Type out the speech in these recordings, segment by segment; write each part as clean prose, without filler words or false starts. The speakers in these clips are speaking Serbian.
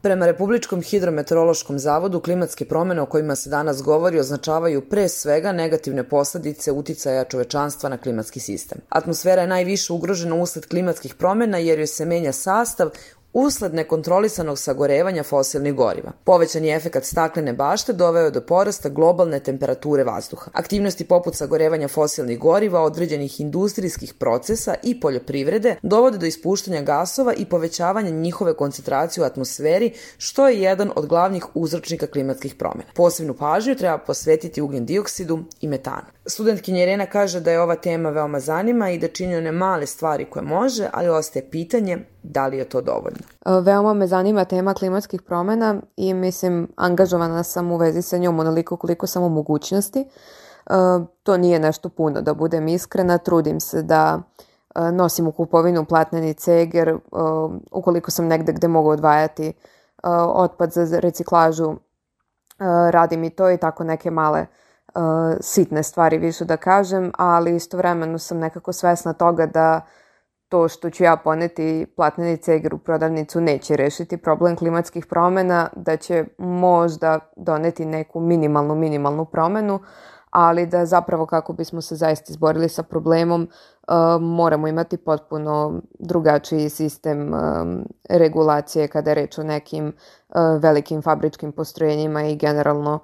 Prema Republičkom hidrometeorološkom zavodu, klimatske promene o kojima se danas govori označavaju pre svega negativne posledice uticaja čovečanstva na klimatski sistem. Atmosfera je najviše ugrožena usled klimatskih promena jer joj se menja sastav usled nekontrolisanog sagorevanja fosilnih goriva. Povećan je efekat staklene bašte doveo je do porasta globalne temperature vazduha. Aktivnosti poput sagorevanja fosilnih goriva, određenih industrijskih procesa i poljoprivrede dovode do ispuštanja gasova i povećavanja njihove koncentracije u atmosferi, što je jedan od glavnih uzročnika klimatskih promena. Posebnu pažnju treba posvetiti ugljen dioksidu i metanu. Studentkinja Irena kaže da je ova tema veoma zanima i da čini one male stvari koje može, ali ostaje pitanje da li je to dovoljno. Veoma me zanima tema klimatskih promena i angažovana sam u vezi sa njom onoliko koliko samo mogućnosti. To nije nešto puno, da budem iskrena. Trudim se da nosim u kupovinu platneni ceger. Ukoliko sam negde gde mogu odvajati otpad za reciklažu, radim i to i tako neke male sitne stvari više da kažem, ali istovremeno sam nekako svesna toga da to što ću ja poneti platneni ceger u prodavnicu neće rešiti problem klimatskih promena, da će možda doneti neku minimalnu promenu, ali da zapravo kako bismo se zaista izborili sa problemom moramo imati potpuno drugačiji sistem regulacije kada je reč o nekim velikim fabričkim postrojenjima i generalno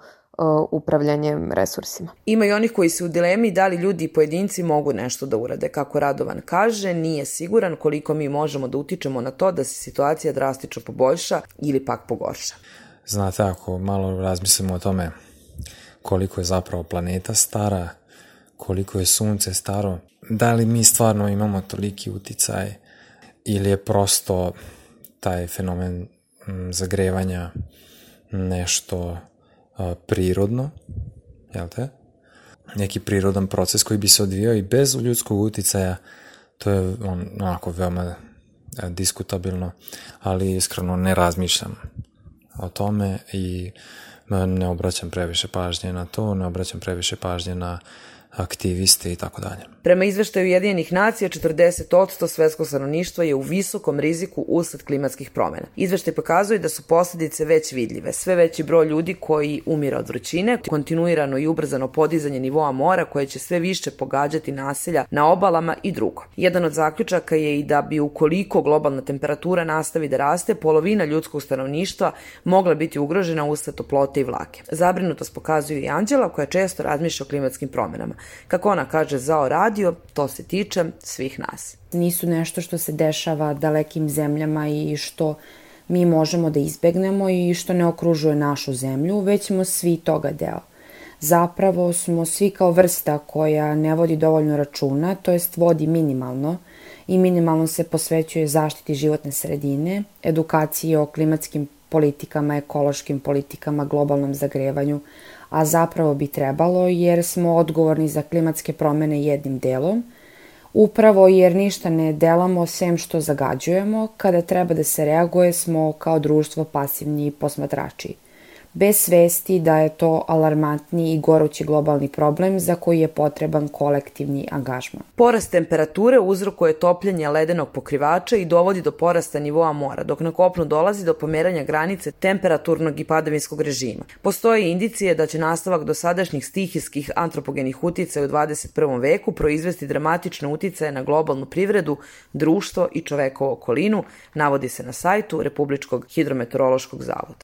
upravljanjem resursima. Ima i onih koji su u dilemi da li ljudi i pojedinci mogu nešto da urade. Kako Radovan kaže, nije siguran koliko mi možemo da utičemo na to da se situacija drastično poboljša ili pak pogorša. Znate, ako malo razmislimo o tome koliko je zapravo planeta stara, koliko je sunce staro, da li mi stvarno imamo toliki uticaj ili je prosto taj fenomen zagrevanja nešto prirodno, jel te? Neki prirodan proces koji bi se odvijao i bez ljudskog uticaja, to je onako veoma diskutabilno, ali iskreno ne razmišljam o tome i ne obraćam previše pažnje na to, ne obraćam previše pažnje na aktiviste i tako dalje. Prema izveštaju Ujedinjenih nacija, 40% svetskog stanovništva je u visokom riziku usled klimatskih promena. Izveštaj pokazuje da su posledice već vidljive. Sve veći broj ljudi koji umire od vrućine, kontinuirano i ubrzano podizanje nivoa mora koje će sve više pogađati naselja na obalama i drugo. Jedan od zaključaka je i da bi ukoliko globalna temperatura nastavi da raste, polovina ljudskog stanovništva mogla biti ugrožena usled toplote i vlage. Zabrinutost pokazuje i Anđela koja često razmišlja o klimatskim promenama. Kako ona kaže za radio, to se tiče svih nas. Nisu nešto što se dešava dalekim zemljama i što mi možemo da izbegnemo i što ne okružuje našu zemlju, već smo svi toga deo. Zapravo smo svi kao vrsta koja ne vodi dovoljno računa, to jest vodi minimalno i minimalno se posvećuje zaštiti životne sredine, edukaciji o klimatskim politikama, ekološkim politikama, globalnom zagrevanju, a zapravo bi trebalo jer smo odgovorni za klimatske promene jednim delom, upravo jer ništa ne delamo sem što zagađujemo, kada treba da se reaguje smo kao društvo pasivni posmatrači. Bez svesti da je to alarmantni i gorući globalni problem za koji je potreban kolektivni angažman. Porast temperature uzrokuje topljenje ledenog pokrivača i dovodi do porasta nivoa mora, dok na kopnu dolazi do pomeranja granice temperaturnog i padavinskog režima. Postoje indicije da će nastavak dosadašnjih stihijskih antropogenih uticaja u 21. veku proizvesti dramatične uticaje na globalnu privredu, društvo i čovekovu okolinu, navodi se na sajtu Republičkog hidrometeorološkog zavoda.